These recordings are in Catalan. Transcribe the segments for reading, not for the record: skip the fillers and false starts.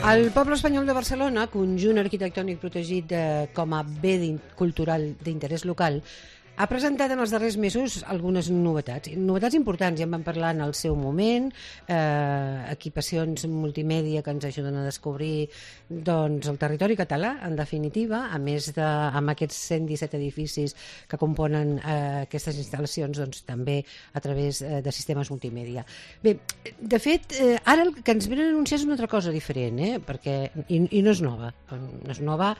El poble espanyol de Barcelona, conjunt arquitectònic protegit com a bé cultural d'interès local, ha presentat en els darrers mesos algunes novetats importants, ja en vam parlar en el seu moment, equipacions multimèdia que ens ajuden a descobrir doncs, el territori català, en definitiva, a més amb aquests 117 edificis que componen aquestes instal·lacions, doncs, també a través de sistemes multimèdia. Bé, de fet, ara el que ens venen a anunciar és una altra cosa diferent, perquè, i no és nova, no és nova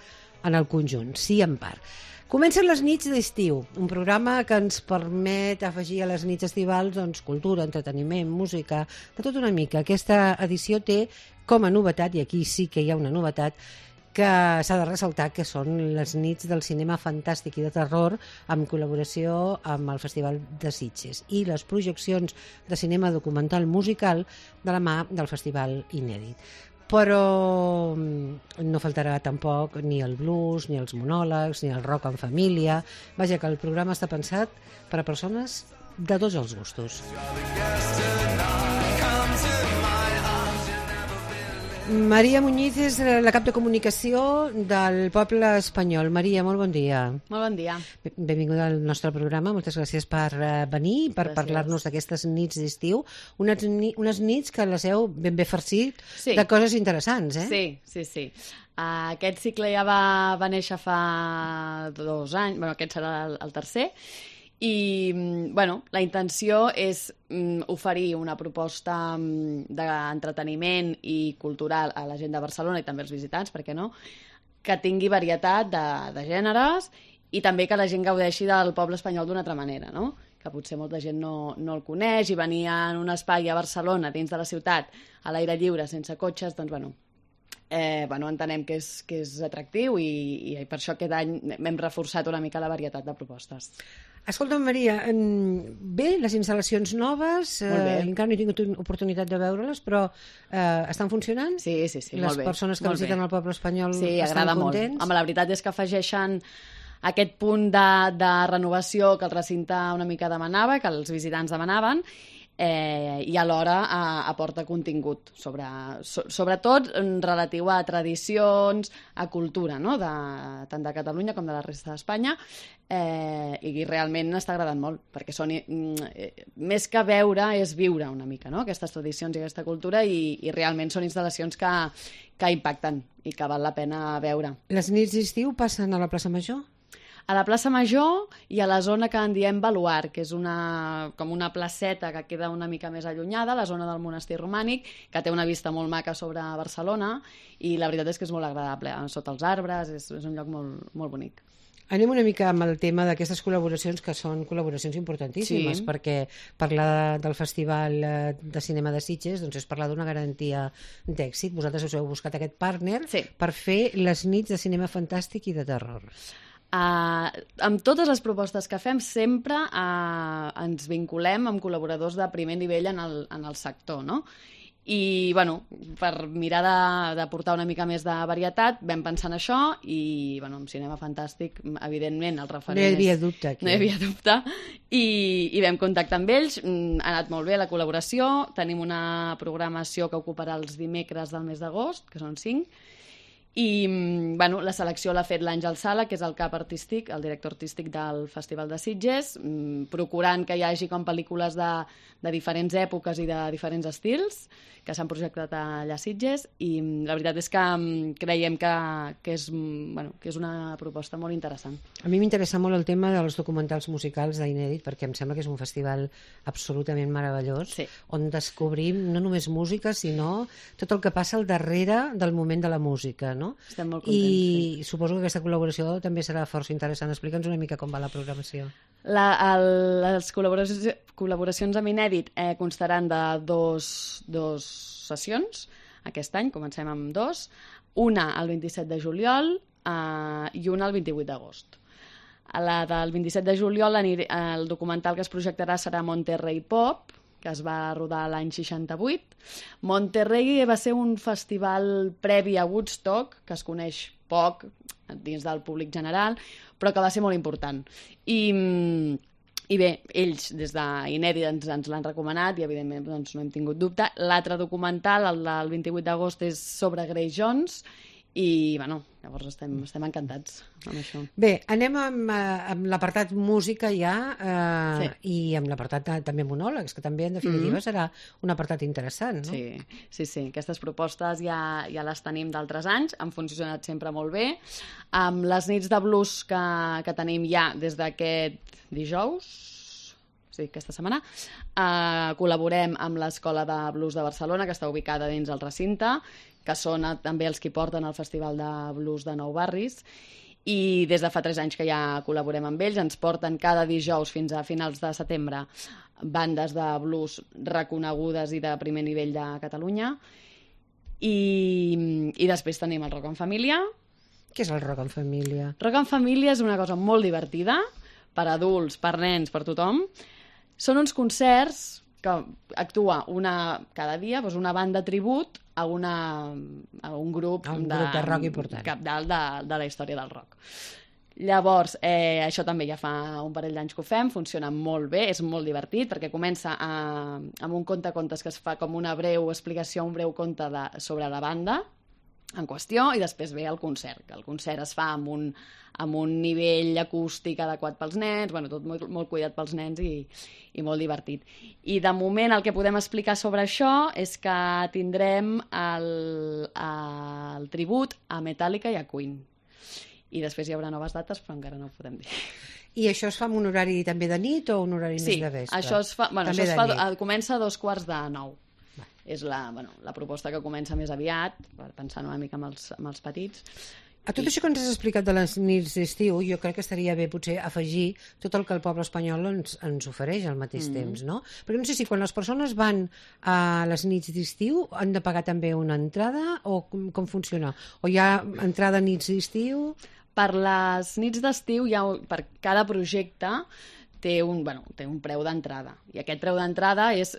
en el conjunt, sí en part. Comencen les nits d'estiu, un programa que ens permet afegir a les nits estivals doncs, cultura, entreteniment, música, de tot una mica. Aquesta edició té com a novetat, i aquí sí que hi ha una novetat, que s'ha de ressaltar, que són les nits del cinema fantàstic i de terror en col·laboració amb el Festival de Sitges i les projeccions de cinema documental musical de la mà del Festival Inèdit. Però no faltarà tampoc ni el blues, ni els monòlegs, ni el rock en família. Vaja, que el programa està pensat per a persones de tots els gustos. Maria Muñiz és la cap de comunicació del poble espanyol. Maria, molt bon dia. Molt bon dia. Benvinguda al nostre programa. Moltes gràcies per venir, per parlar-nos d'aquestes nits d'estiu. Unes nits que les heu ben bé farcit de coses interessants, Sí. Aquest cicle ja va néixer fa 2 anys, aquest serà el tercer, i la intenció és oferir una proposta d'entreteniment i cultural a la gent de Barcelona i també als visitants, per què no?, que tingui varietat de gèneres i també que la gent gaudeixi del poble espanyol d'una altra manera, no?, que potser molta gent no el coneix, i venir en un espai a Barcelona, dins de la ciutat, a l'aire lliure, sense cotxes, doncs entenem que és atractiu, i per això aquest any hem reforçat una mica la varietat de propostes. Escolta'm, Maria, bé, les instal·lacions noves, encara no he tingut oportunitat de veure-les, però estan funcionant? Sí, molt bé. Les persones que visiten el poble espanyol estan contents? Home, la veritat és que afegeixen aquest punt de renovació que el recinte una mica demanava, que els visitants demanaven, i alhora aporta contingut, sobretot relatiu a tradicions, a cultura, no?, tant de Catalunya com de la resta d'Espanya, i realment està agradant molt, perquè són, més que veure, és viure una mica, no?, aquestes tradicions i aquesta cultura, i realment són instal·lacions que impacten i que val la pena veure. Les nits d'estiu passen a la plaça Major? A la plaça Major i a la zona que en diem Baluard, que és com una placeta que queda una mica més allunyada, la zona del monestir romànic, que té una vista molt maca sobre Barcelona, i la veritat és que és molt agradable, sota els arbres, és un lloc molt, molt bonic. Anem una mica amb el tema d'aquestes col·laboracions, que són col·laboracions importantíssimes, perquè parlar del Festival de Cinema de Sitges doncs és parlar d'una garantia d'èxit. Vosaltres us heu buscat aquest partner per fer les nits de cinema fantàstic i de terror. Amb totes les propostes que fem sempre ens vinculem amb col·laboradors de primer nivell en el sector, no? I, per mirar de portar una mica més de varietat, vam pensar en això, i, amb cinema fantàstic, evidentment, el referent No hi havia dubte, aquí. No hi havia dubte, i vam contactar amb ells, ha anat molt bé la col·laboració, tenim una programació que ocuparà els dimecres del mes d'agost, que són 5, i la selecció l'ha fet l'Àngel Sala, que és el cap artístic, el director artístic del Festival de Sitges, procurant que hi hagi com pel·lícules de diferents èpoques i de diferents estils que s'han projectat allà a Sitges, i la veritat és que creiem que és una proposta molt interessant. A mi m'interessa molt el tema dels documentals musicals d'Inèdit, perquè em sembla que és un festival absolutament meravellós, on descobrim no només música, sinó tot el que passa al darrere del moment de la música, no? Estem molt contents. I suposo que aquesta col·laboració també serà força interessant. Explica'ns una mica com va la programació. Les col·laboracions amb Inèdit constaran de dos sessions. Aquest any comencem amb 2, una el 27 de juliol i una el 28 d'agost. A la del 27 de juliol el documental que es projectarà serà Monterrey Pop, que es va rodar l'any 68. Monterrey va ser un festival previ a Woodstock, que es coneix poc dins del públic general, però que va ser molt important. I I bé, ells des d'Inèdit ens l'han recomanat i evidentment doncs, no hem tingut dubte. L'altre documental, el del 28 d'agost, és sobre Grace Jones i bueno, llavors estem encantats amb això. Bé, anem amb l'apartat música ja i amb l'apartat també monòlegs, que també en definitiva serà un apartat interessant, no? Sí. Aquestes propostes ja les tenim d'altres anys, han funcionat sempre molt bé. Amb les nits de blues que tenim ja des d'aquest dijous, aquesta setmana, col·laborem amb l'Escola de Blues de Barcelona, que està ubicada dins el recinte, que són també els que porten el Festival de Blues de Nou Barris, i des de fa 3 anys que ja col·laborem amb ells, ens porten cada dijous fins a finals de setembre bandes de blues reconegudes i de primer nivell de Catalunya, i després tenim el Rock en Família. Què és el Rock en Família? Rock en Família és una cosa molt divertida, per adults, per nens, per tothom. Són uns concerts que actua cada dia una banda tribut a un grup de rock important, capdalt de la història del rock. Llavors, això també ja fa un parell d'anys que ho fem, funciona molt bé, és molt divertit, perquè comença amb un conte-contes que es fa com una breu explicació, un breu conte sobre la banda en qüestió, i després ve el concert, que el concert es fa amb un nivell acústic adequat pels nens, tot molt cuidat pels nens i molt divertit. I de moment el que podem explicar sobre això és que tindrem el tribut a Metallica i a Queen. I després hi haurà noves dates, però encara no ho podem dir. I això es fa amb un horari també de nit o un horari més de vespre? Sí, això comença a 8:45. És la proposta que comença més aviat, pensant una mica amb els petits. A tot això que ens has explicat de les nits d'estiu, jo crec que estaria bé potser afegir tot el que el poble espanyol ens ofereix al mateix temps, no? Perquè no sé si quan les persones van a les nits d'estiu han de pagar també una entrada o com funciona? O hi ha entrada a nits d'estiu? Per les nits d'estiu, per cada projecte té un preu d'entrada, i aquest preu d'entrada és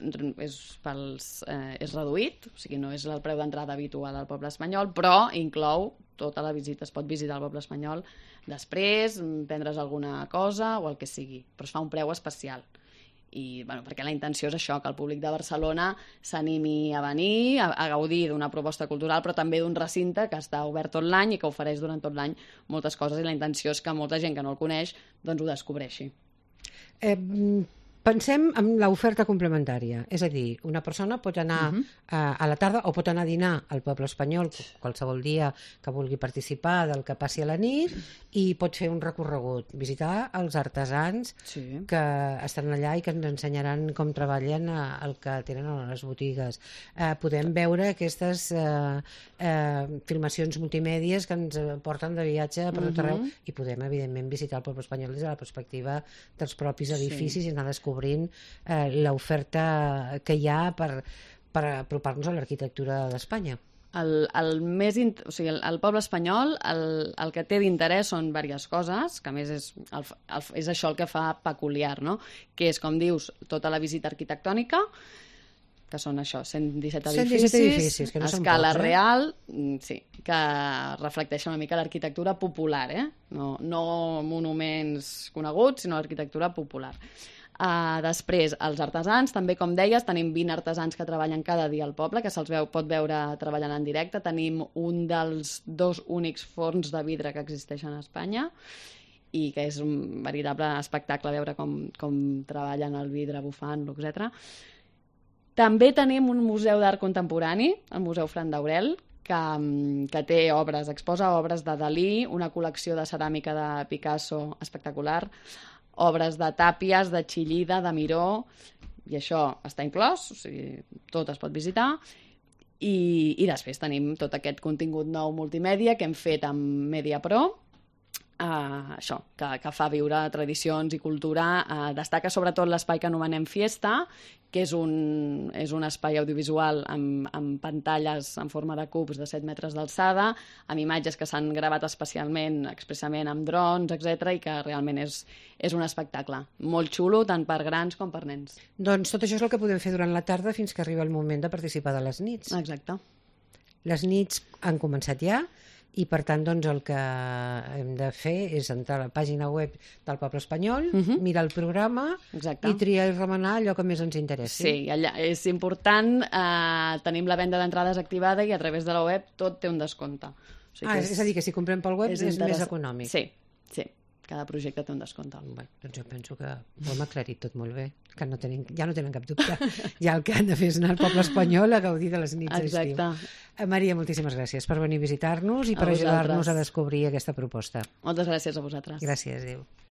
reduït, o sigui, no és el preu d'entrada habitual al poble espanyol, però inclou tota la visita, es pot visitar el poble espanyol després, prendre's alguna cosa o el que sigui, però es fa un preu especial. I perquè la intenció és això, que el públic de Barcelona s'animi a venir, a gaudir d'una proposta cultural, però també d'un recinte que està obert tot l'any i que ofereix durant tot l'any moltes coses, i la intenció és que molta gent que no el coneix doncs ho descobreixi. Pensem en l'oferta complementària, és a dir, una persona pot anar a la tarda o pot anar a dinar al poble espanyol qualsevol dia que vulgui participar del que passi a la nit, i pot fer un recorregut, visitar els artesans que estan allà i que ens ensenyaran com treballen el que tenen a les botigues. Podem veure aquestes filmacions multimèdies que ens porten de viatge per tot arreu, i podem evidentment visitar el poble espanyol des de la perspectiva dels propis edificis i anar descobrint l'oferta que hi ha per apropar-nos a l'arquitectura d'Espanya. El poble espanyol el que té d'interès són diverses coses, que a més és això el que fa peculiar, no? Que és, com dius, tota la visita arquitectònica, que són això, 117 edificis que no a escala real, sí, que reflecteixen una mica l'arquitectura popular, no monuments coneguts, sinó l'arquitectura popular. Després, els artesans, també com deies, tenim 20 artesans que treballen cada dia al poble, que se'ls pot veure treballant en directe. Tenim un dels 2 únics forns de vidre que existeixen a Espanya, i que és un veritable espectacle veure com treballen el vidre, bufant-lo, etc. També tenim un museu d'art contemporani, el Museu Fran d'Aurel, que té obres, exposa obres de Dalí, una col·lecció de ceràmica de Picasso espectacular, obres de Tàpies, de Chillida, de Miró, i això està inclòs, o sigui, tot es pot visitar. I després tenim tot aquest contingut nou multimèdia que hem fet amb MediaPro, això, que fa viure tradicions i cultura. Destaca sobretot l'espai que anomenem Fiesta, que és un espai audiovisual amb pantalles en forma de cubs de 7 metres d'alçada, amb imatges que s'han gravat expressament amb drons, etc., i que realment és un espectacle molt xulo, tant per grans com per nens. Doncs tot això és el que podem fer durant la tarda fins que arriba el moment de participar de les nits. Exacte. Les nits han començat ja, i per tant doncs, el que hem de fer és entrar a la pàgina web del Poble Espanyol, mirar el programa i triar i remenar allò que més ens interessi. Sí, allà és important, tenim la venda d'entrades activada i a través de la web tot té un descompte. O sigui és a dir, que si comprem pel web és més econòmic. Sí, cada projecte té un descompte. Bé, doncs jo penso que ho hem aclarit tot molt bé, que ja no tenen cap dubte. Ja el que han de fer és anar al Poble Espanyol a gaudir de les nits d'estiu. Exacte. Maria, moltíssimes gràcies per venir a visitar-nos i per ajudar-nos a descobrir aquesta proposta. Moltes gràcies a vosaltres. Gràcies, adéu.